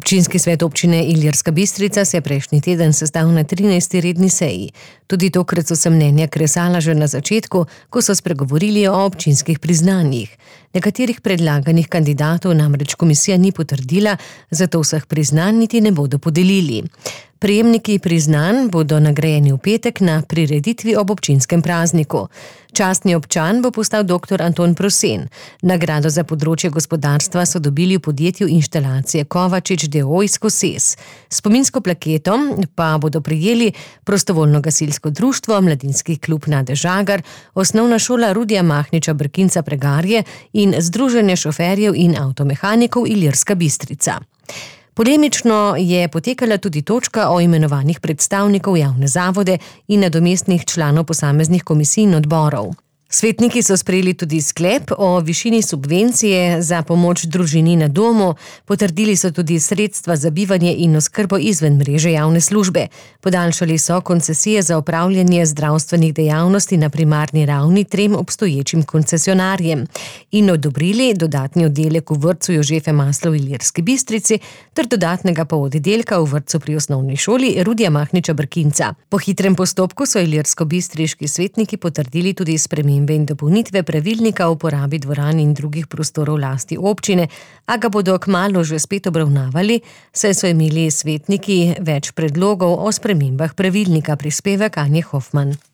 Občinski svet občine Ilirska Bistrica se je prejšnji teden sestal na 13. redni seji. Tudi tokrat so se mnenja kresala že na začetku, ko so spregovorili o občinskih priznanjih. Nekaterih predlaganih kandidatov namreč komisija ni potrdila, zato vseh priznanj niti ne bodo podelili. Prejemniki priznanj bodo nagrajeni v petek na prireditvi ob občinskem prazniku. Častni občan bo postal dr. Anton Prosen. Nagrado za področje gospodarstva so dobili v podjetju Inštalacije Kovačič d.o.o. iz Koses. Spominsko plaketo pa bodo prejeli Prostovoljno gasilsko društvo, Mladinski klub Nade Žagar, Osnovna šola Rudija Mahniča Brkinca Pregarje in Združenje šoferjev in avtomehanikov Ilirska Bistrica. Polemično je potekala tudi točka o imenovanjih predstavnikov javne zavode in nadomestnih članov posameznih komisij in odborov. Svetniki so sprejeli tudi sklep o višini subvencije za pomoč družini na domu, potrdili so tudi sredstva za bivanje in oskrbo izven mreže javne službe. Podaljšali so koncesije za opravljanje zdravstvenih dejavnosti na primarni ravni 3 obstoječim koncesionarjem in odobrili dodatni oddelek v vrtcu Jožefe Masla v Ilirski Bistrici ter dodatnega poloddelka v vrtcu pri osnovni šoli Rudija Mahniča Brkinca. Po hitrem postopku so ilirsko-bistriški svetniki potrdili tudi spremembe in dopolnitve pravilnika o uporabi dvoran in drugih prostorov v lasti občine, a ga bodo kmalu že spet obravnavali, saj so imeli svetniki več predlogov o spremembah pravilnika, prispevek Anje Hofman.